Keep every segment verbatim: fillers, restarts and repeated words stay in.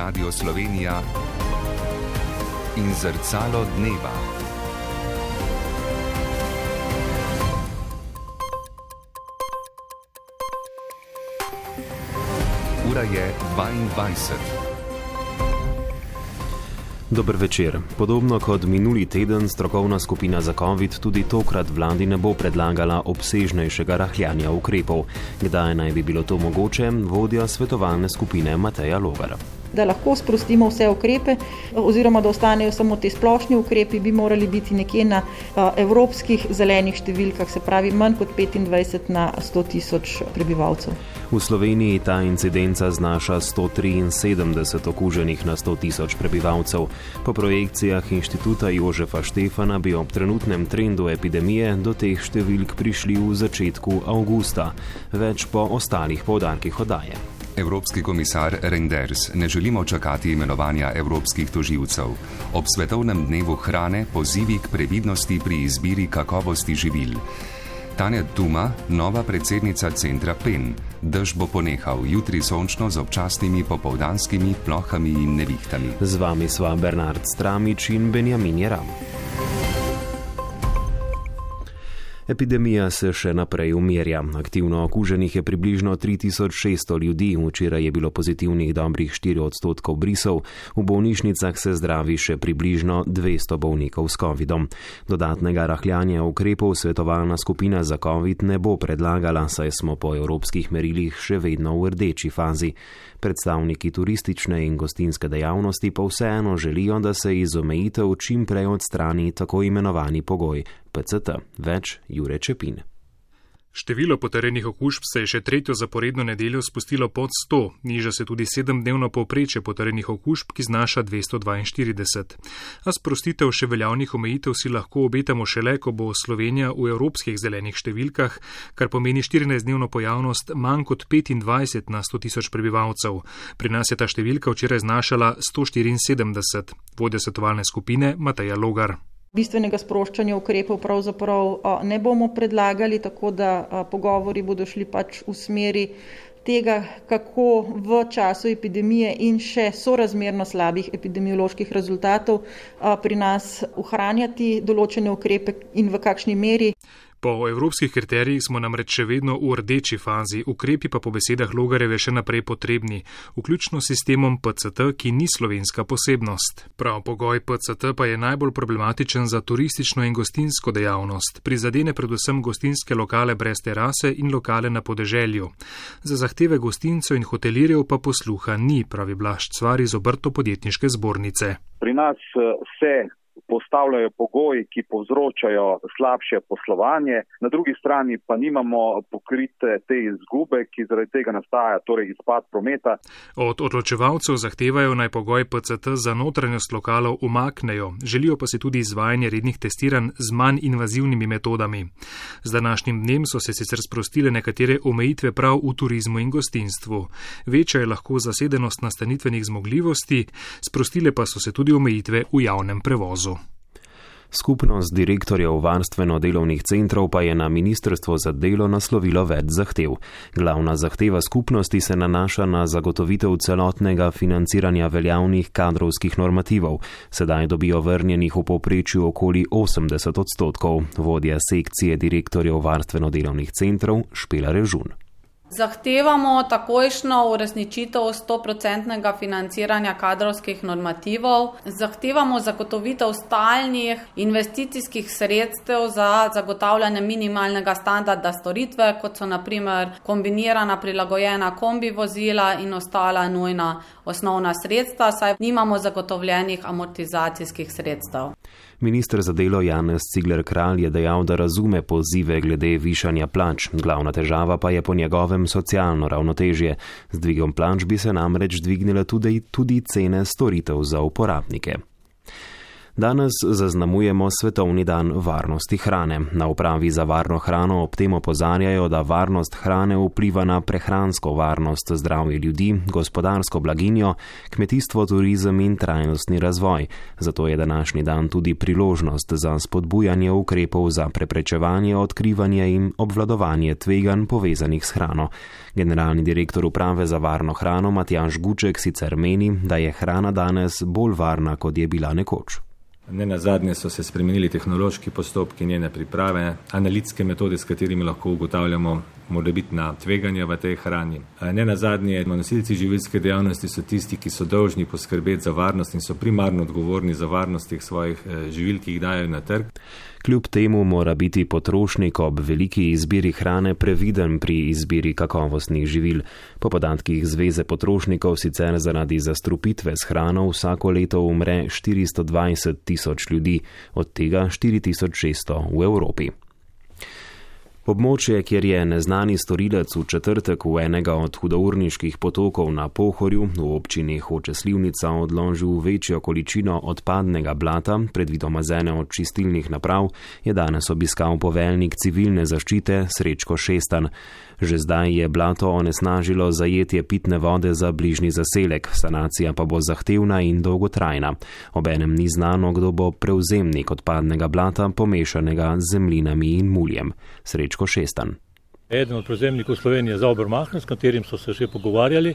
Radio Slovenija in Zrcalo dneva. Ura je dvaindvajset. Dober večer. Podobno kot minuli teden strokovna skupina za covid tudi tokrat vladi ne bo predlagala obsežnejšega rahljanja ukrepov. Kdaj naj bi bilo to mogoče, vodja svetovalne skupine Mateja Logar. Da lahko sprostimo vse ukrepe oziroma da ostanejo samo te splošni ukrepi, bi morali biti nekje na evropskih zelenih številkah, se pravi manj kot petindvajset na sto tisoč prebivalcev. V Sloveniji ta incidenca znaša sto triinsedemdeset okuženih na sto tisoč prebivalcev. Po projekcijah inštituta Jožefa Štefana bi ob trenutnem trendu epidemije do teh številk prišli v začetku avgusta. Več po ostalih poudarkih oddaje. Evropski komisar Reinders: ne želimo čakati imenovanja evropskih tožilcev. Ob svetovnem dnevu hrane pozivi k previdnosti pri izbiri kakovosti živil. Tanja Tuma, nova predsednica centra P E N. Dež bo ponehal, jutri sončno z občasnimi popoldanskimi plohami in nevihtami. Z vami sva Bernard Stramič in Benjamin Jeram. Epidemija se še naprej umirja. Aktivno okuženih je približno tri tisoč šeststo ljudi, včeraj je bilo pozitivnih dobrih štiri odstotkov brisov, v bolnišnicah se zdravi še približno dvesto bolnikov s covidom. Dodatnega rahljanja ukrepov svetovalna skupina za covid ne bo predlagala, saj smo po evropskih merilih še vedno v rdeči fazi. Predstavniki turistične in gostinske dejavnosti pa vseeno želijo, da se iz omejitev čim prej odstrani tako imenovani pogoj P C T. Več Jure Čepin. Število potrjenih okužb se je še tretjo zaporedno nedeljo spustilo pod sto, niža se tudi sedemdnevno povprečje potrjenih okužb, ki znaša dvesto dvainštirideset. A sprostitev še veljavnih omejitev si lahko obetamo šele, ko bo Slovenija v evropskih zelenih številkah, kar pomeni štirinajstdnevno pojavnost manj kot petindvajset na sto tisoč prebivalcev. Pri nas je ta številka včeraj znašala sto štiriinsedemdeset. Vodja svetovalne skupine Mateja Logar. Bistvenega sproščanja ukrepov pravzaprav ne bomo predlagali, tako da pogovori bodo šli pač v smeri tega, kako v času epidemije in še sorazmerno slabih epidemioloških rezultatov pri nas ohranjati določene ukrepe in v kakšni meri. Po evropskih kriterijih smo namreč še vedno v rdeči fazi, ukrepi pa po besedah Logarjeve še naprej potrebni, vključno s sistemom P C T, ki ni slovenska posebnost. Prav pogoj P C T pa je najbolj problematičen za turistično in gostinsko dejavnost. Prizadene predvsem gostinske lokale brez terase in lokale na podeželju. Za zahteve gostincev in hotelirjev pa posluha ni, pravi Blaž Cvar iz Obrtno-podjetniške zbornice. Pri nas se postavljajo pogoji, ki povzročajo slabše poslovanje, na drugi strani pa nimamo pokrite te izgube, ki zaradi tega nastaja, torej izpad prometa. Od odločevalcev zahtevajo naj pogoj P C T za notranjost lokalov umaknejo, želijo pa si tudi izvajanje rednih testiranj z manj invazivnimi metodami. Z današnjim dnem so se sicer sprostile nekatere omejitve prav v turizmu in gostinstvu. Večja je lahko zasedenost nastanitvenih zmogljivosti, sprostile pa so se tudi omejitve v javnem prevozu. Skupnost direktorjev varstveno-delovnih centrov pa je na Ministrstvo za delo naslovilo več zahtev. Glavna zahteva skupnosti se nanaša na zagotovitev celotnega financiranja veljavnih kadrovskih normativov. Sedaj dobijo vrnjenih v povprečju okoli osemdeset odstotkov. Vodja sekcije direktorjev varstveno-delovnih centrov Špela Režun. Zahtevamo takojšno uresničitev stoprocentnega financiranja kadrovskih normativov, zahtevamo zagotovitev stalnih investicijskih sredstev za zagotavljanje minimalnega standarda storitve, kot so na primer kombinirana prilagojena kombi vozila in ostala nujna osnovna sredstva, saj nimamo zagotovljenih amortizacijskih sredstev. Minister za delo Janez Cigler Kralj je dejal, da razume pozive glede višanja plač. Glavna težava pa je po njegovem socialno ravnotežje. Z dvigom plač bi se namreč dvignile tudi, tudi cene storitev za uporabnike. Danes zaznamujemo Svetovni dan varnosti hrane. Na upravi za varno hrano ob tem opozarjajo, da varnost hrane vpliva na prehransko varnost, zdravje ljudi, gospodarsko blaginjo, kmetijstvo, turizem in trajnostni razvoj. Zato je današnji dan tudi priložnost za spodbujanje ukrepov za preprečevanje, odkrivanje in obvladovanje tveganj povezanih s hrano. Generalni direktor uprave za varno hrano Matjaž Guček sicer meni, da je hrana danes bolj varna, kot je bila nekoč. Ne nazadnje so se spremenili tehnološki postopki njene priprave, analitske metode, s katerimi lahko ugotavljamo morebitna tveganja v tej hrani. Ne nazadnje, nosilci živilske dejavnosti so tisti, ki so dolžni poskrbeti za varnost in so primarno odgovorni za varnost teh svojih živil, ki jih dajo na trg. Kljub temu mora biti potrošnik ob veliki izbiri hrane previden pri izbiri kakovostnih živil. Po podatkih Zveze potrošnikov sicer zaradi zastrupitve s hrano vsako leto umre štiristo dvajset tisoč ljudi, od tega štiri tisoč šeststo v Evropi. Območje, kjer je neznani storilec v četrtek v enega od hudourniških potokov na Pohorju v občini Hoče Slivnica odložil večjo količino odpadnega blata, predvidoma z ene od čistilnih naprav, je danes obiskal poveljnik civilne zaščite Srečko Šestan. Že zdaj je blato onesnažilo zajetje pitne vode za bližnji zaselek, sanacija pa bo zahtevna in dolgotrajna. Obenem ni znano, kdo bo prevzemnik odpadnega blata, pomešanega z zemljinami in muljem. Srečko Šestan. Eden od prevzemnikov Slovenije za Obermacher, s katerim so se še pogovarjali,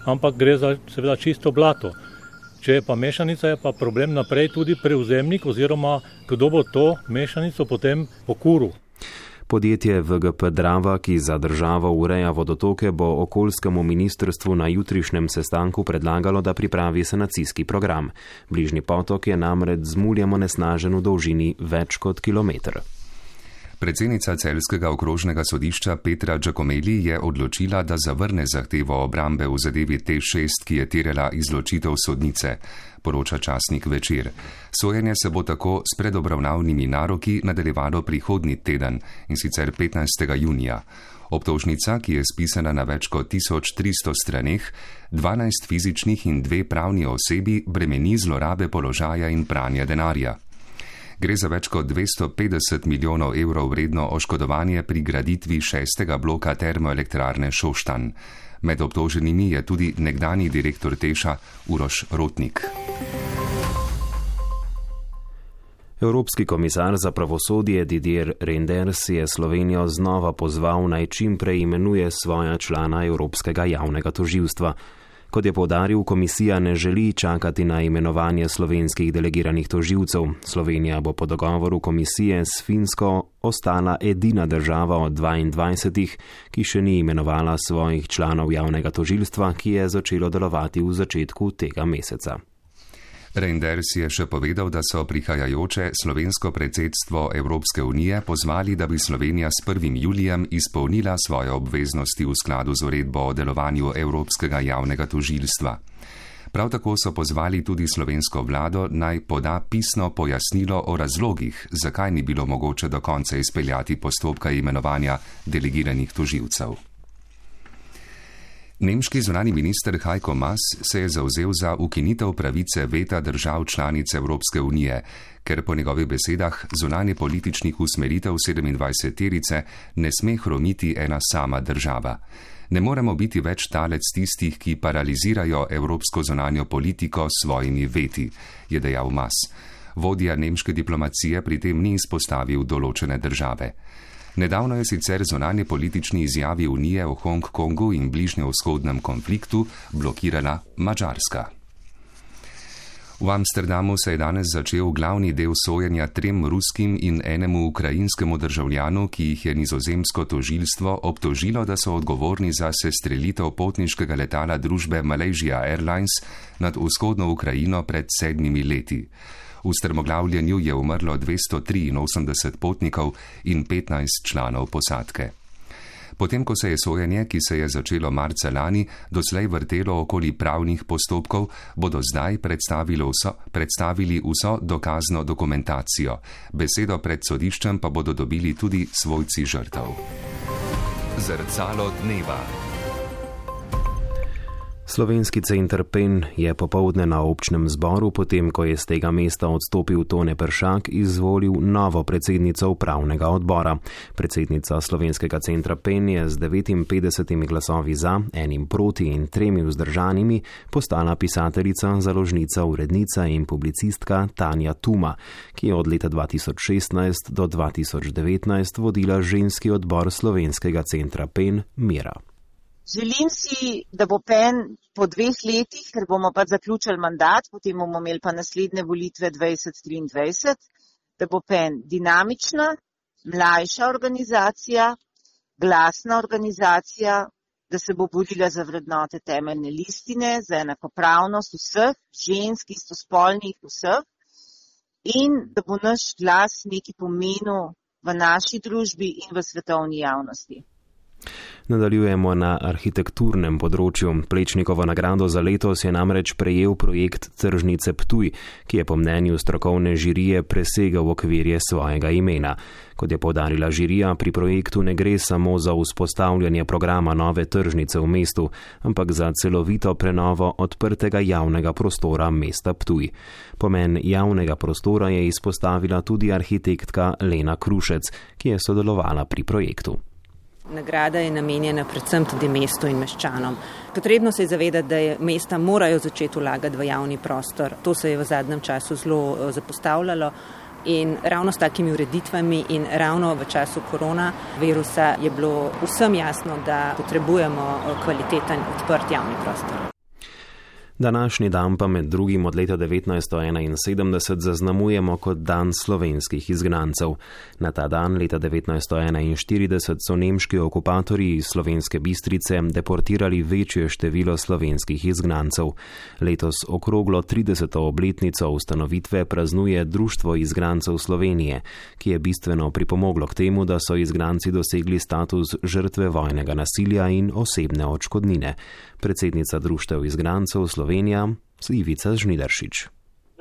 ampak gre za seveda čisto blato. Če je pa mešanica, je pa problem naprej tudi prevzemnik oziroma kdo bo to mešanico potem pokuril. Podjetje V G P Drava, ki za državo ureja vodotoke, bo okoljskemu ministrstvu na jutrišnjem sestanku predlagalo, da pripravi sanacijski program. Bližnji potok je namreč z muljem onesnažen v dolžini več kot kilometr. Predsednica Celjskega okrožnega sodišča Petra Giacomelli je odločila, da zavrne zahtevo obrambe v zadevi T šest, ki je terjala izločitev sodnice, poroča časnik Večer. Sojenje se bo tako s predobravnavnimi naroki nadaljevalo prihodnji teden, in sicer petnajstega junija. Obtožnica, ki je spisana na več kot tisoč tristo straneh, dvanajst fizičnih in dve pravni osebi bremeni zlorabe položaja in pranja denarja. Gre za več kot dvesto petdeset milijonov evrov vredno oškodovanje pri graditvi šestega bloka termoelektrarne Šoštanj. Med obtoženimi je tudi nekdanji direktor Teša Uroš Rotnik. Evropski komisar za pravosodje Didier Reynders je Slovenijo znova pozval, naj čim prej imenuje svoja člana Evropskega javnega tožilstva. Kot je poudaril, komisija ne želi čakati na imenovanje slovenskih delegiranih tožilcev. Slovenija bo po dogovoru komisije s Finsko ostala edina država od dvaindvajsetih, ki še ni imenovala svojih članov javnega tožilstva, ki je začelo delovati v začetku tega meseca. Reynders je še povedal, da so prihajajoče slovensko predsedstvo Evropske unije pozvali, da bi Slovenija s prvim julijem izpolnila svoje obveznosti v skladu z uredbo o delovanju Evropskega javnega tožilstva. Prav tako so pozvali tudi slovensko vlado, naj poda pisno pojasnilo o razlogih, zakaj ni bilo mogoče do konca izpeljati postopka imenovanja delegiranih tožilcev. Nemški zunani minister Heiko Maas se je zavzel za ukinitev pravice veta držav članic Evropske unije, ker po njegovih besedah zunanje političnih usmeritev sedemindvajseterice ne sme hromiti ena sama država. Ne moremo biti več talec tistih, ki paralizirajo evropsko zunanjo politiko s svojimi veti, je dejal Maas. Vodja nemške diplomacije pri tem ni izpostavil določene države. Nedavno je sicer zunanje politični izjavi Unije o Hongkongu in bližnjevzhodnem konfliktu blokirala Madžarska. V Amsterdamu se je danes začel glavni del sojenja trem ruskim in enemu ukrajinskemu državljanu, ki jih je nizozemsko tožilstvo obtožilo, da so odgovorni za sestrelitev potniškega letala družbe Malaysia Airlines nad vzhodno Ukrajino pred sedmimi leti. V strmoglavljenju je umrlo dvesto triinosemdeset potnikov in petnajst članov posadke. Potem, ko se je sojenje, ki se je začelo marca lani, doslej vrtelo okoli pravnih postopkov, bodo zdaj predstavili vso, predstavili vso dokazno dokumentacijo. Besedo pred sodiščem pa bodo dobili tudi svojci žrtev. Zrcalo dneva. Slovenski center Pen je popovdne na občnem zboru, potem ko je z tega mesta odstopil Tone Peršak, izvolil novo predsednico upravnega odbora. Predsednica Slovenskega centra Pen je z devetinpetdesetimi glasovi za, enim proti in tremi vzdržanimi postala pisateljica, založnica, urednica in publicistka Tanja Tuma, ki je od leta dva tisoč šestnajst do dva tisoč devetnajst vodila ženski odbor Slovenskega centra Pen Mira. Želim si, da bo Pen po dveh letih, ker bomo pa zaključili mandat, potem bomo imeli pa naslednje volitve dvajset triindvajset, da bo Pen dinamična, mlajša organizacija, glasna organizacija, da se bo borila za vrednote temeljne listine, za enakopravnost vseh, žensk, istospolnih vseh in da bo naš glas nekaj pomenil v naši družbi in v svetovni javnosti. Nadaljujemo na arhitekturnem področju. Plečnikovo nagrado za letos je namreč prejel projekt Tržnice Ptuj, ki je po mnenju strokovne žirije presegel okvirje svojega imena. Kot je poudarila žirija, pri projektu ne gre samo za vzpostavljanje programa nove tržnice v mestu, ampak za celovito prenovo odprtega javnega prostora mesta Ptuj. Pomen javnega prostora je izpostavila tudi arhitektka Lena Krušec, ki je sodelovala pri projektu. Nagrada je namenjena predvsem tudi mestu in meščanom. Potrebno se je zavedati, da je mesta morajo začeti vlagati v javni prostor. To se je v zadnjem času zelo zapostavljalo in ravno s takimi ureditvami in ravno v času koronavirusa je bilo vsem jasno, da potrebujemo kvaliteten odprt javni prostor. Današnji dan pa med drugim od leta devetnajststo enainsedemdeset zaznamujemo kot dan slovenskih izgnancev. Na ta dan leta devetnajststo enainštirideset so nemški okupatorji iz Slovenske Bistrice deportirali večje število slovenskih izgnancev. Letos okroglo trideseto obletnico ustanovitve praznuje Društvo izgnancev Slovenije, ki je bistveno pripomoglo k temu, da so izgnanci dosegli status žrtve vojnega nasilja in osebne odškodnine. Predsednica Društev izgnancev Slovenija, Ivica Žnidaršič.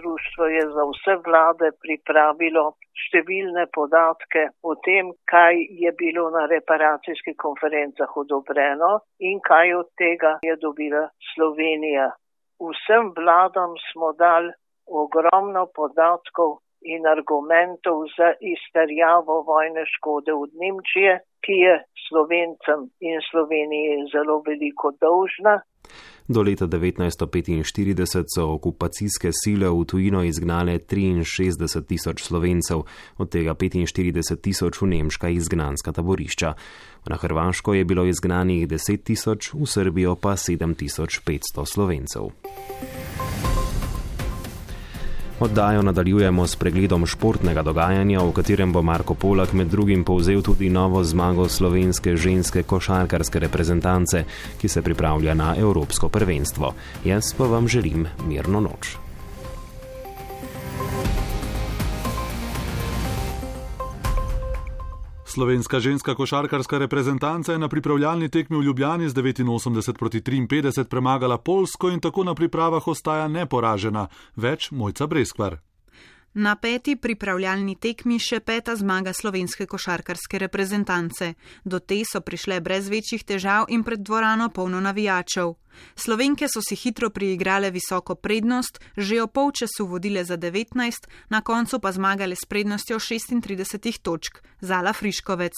Društvo je za vse vlade pripravilo številne podatke o tem, kaj je bilo na reparacijskih konferencah odobreno in kaj od tega je dobila Slovenija. Vsem vladam smo dali ogromno podatkov in argumentov za izterjavo vojne škode od Nemčije, ki je Slovencem in Sloveniji zelo veliko dolžna. Do leta devetnajststo petinštirideset so okupacijske sile v tujino izgnale triinšestdeset tisoč Slovencev, od tega petinštirideset tisoč v nemška izgnanska taborišča. Na Hrvaško je bilo izgnanih deset tisoč, v Srbijo pa sedem tisoč petsto Slovencev. Oddajo nadaljujemo s pregledom športnega dogajanja, v katerem bo Marko Polak med drugim povzel tudi novo zmago slovenske ženske košarkarske reprezentance, ki se pripravlja na evropsko prvenstvo. Jaz pa vam želim mirno noč. Slovenska ženska košarkarska reprezentanca je na pripravljalni tekmi v Ljubljani z devetinosemdeset proti triinpetdeset premagala Poljsko in tako na pripravah ostaja neporažena. Več Mojca Breskvar. Na peti pripravljalni tekmi še peta zmaga slovenske košarkarske reprezentance. Do te so prišle brez večjih težav in pred dvorano polno navijačev. Slovenke so si hitro priigrale visoko prednost, že o polčasu vodile za devetnajst, na koncu pa zmagale s prednostjo šestintrideset točk. Zala Friškovec.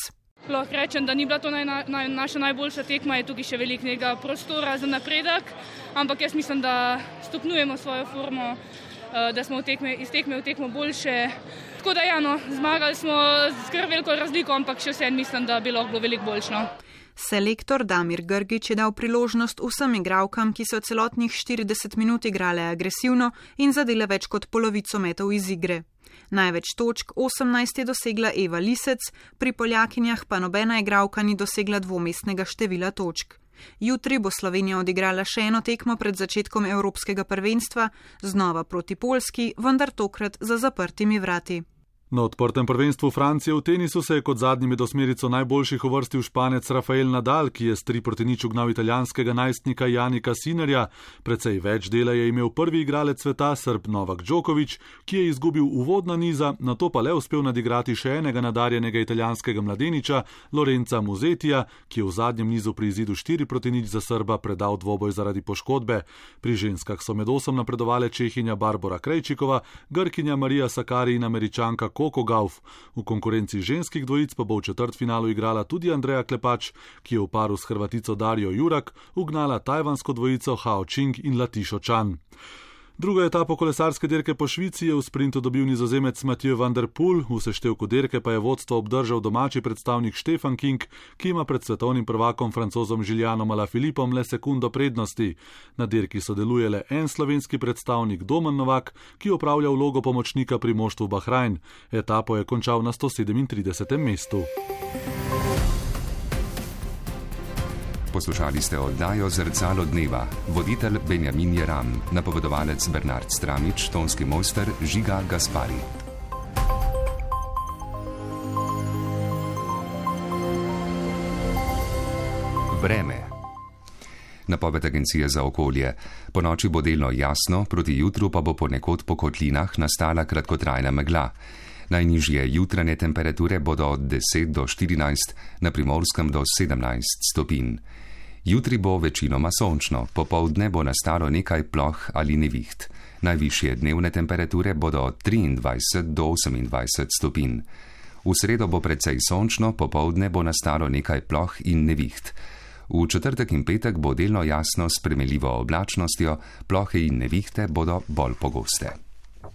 Lahko rečem, da ni bila to naj, naj, naša najboljša tekma, je tukaj še veliko nekega prostora za napredek, ampak jaz mislim, da stopnjujemo svojo formo, da smo tekme, iz tekme v tekmo boljše. Tako da ja, no, zmagali smo z kar veliko razliko, ampak še vsem mislim, da bi lahko bilo veliko boljšno. Selektor Damir Grgić je dal priložnost vsem igralkam, ki so celotnih štirideset minut igrale agresivno in zadele več kot polovico metov iz igre. Največ točk, osemnajst, je dosegla Eva Lisec, pri Poljakinjah pa nobena igralka ni dosegla dvomestnega števila točk. Jutri bo Slovenija odigrala še eno tekmo pred začetkom evropskega prvenstva, znova proti Poljski, vendar tokrat za zaprtimi vrati. Na odprtem prvenstvu Francije v tenisu se je kot zadnji med osmerico najboljših uvrstil Španec Rafael Nadal, ki je s tri proti nič ugnal italijanskega najstnika Janika Sinnerja. Precej več dela je imel prvi igralec sveta, Srb Novak Djokovic, ki je izgubil uvodna niza, nato pa le uspel nadigrati še enega nadarjenega italijanskega mladeniča, Lorenza Musetija, ki je v zadnjem nizu pri izidu štiri proti nič za Srba predal dvoboj zaradi poškodbe. Pri ženskah so med osem napredovale Čehinja Barbora Krejčikova, Grkinja Marija Sakari in Američanka Coco Gauff. V konkurenci ženskih dvojic pa bo v četrtfinalu igrala tudi Andreja Klepač, ki je v paru s Hrvatico Darjo Jurak ugnala tajvansko dvojico Hao Ching in Latišo Chan. Drugo etapo kolesarske dirke po Švici je v sprintu dobil Nizozemec Mathieu van der Poel, v seštevku dirke pa je vodstvo obdržal domači predstavnik Stefan King, ki ima pred svetovnim prvakom Francozom Julianom Alaphilippom le sekundo prednosti. Na dirki sodeluje le en slovenski predstavnik Domen Novak, ki opravlja vlogo pomočnika pri moštvu Bahrajn. Etapo je končal na sto sedemintridesetem mestu. Poslušali ste oddajo Zrcalo dneva, voditelj Benjamin Jeram, napovedovalec Bernard Stramič, tonski mojster Žiga Gaspari. Vreme. Napoved agencije za okolje. Po noči bo delno jasno, proti jutru pa bo ponekod po kotlinah nastala kratkotrajna megla. Najnižje jutranje temperature bodo od deset do štirinajst, na Primorskem do sedemnajst stopinj. Jutri bo večinoma sončno, popoldne bo nastalo nekaj ploh ali neviht. Najvišje dnevne temperature bodo od triindvajset do osemindvajset stopinj. V sredo bo precej sončno, popoldne bo nastalo nekaj ploh in neviht. V četrtek in petek bo delno jasno s spremenljivo oblačnostjo, plohe in nevihte bodo bolj pogoste.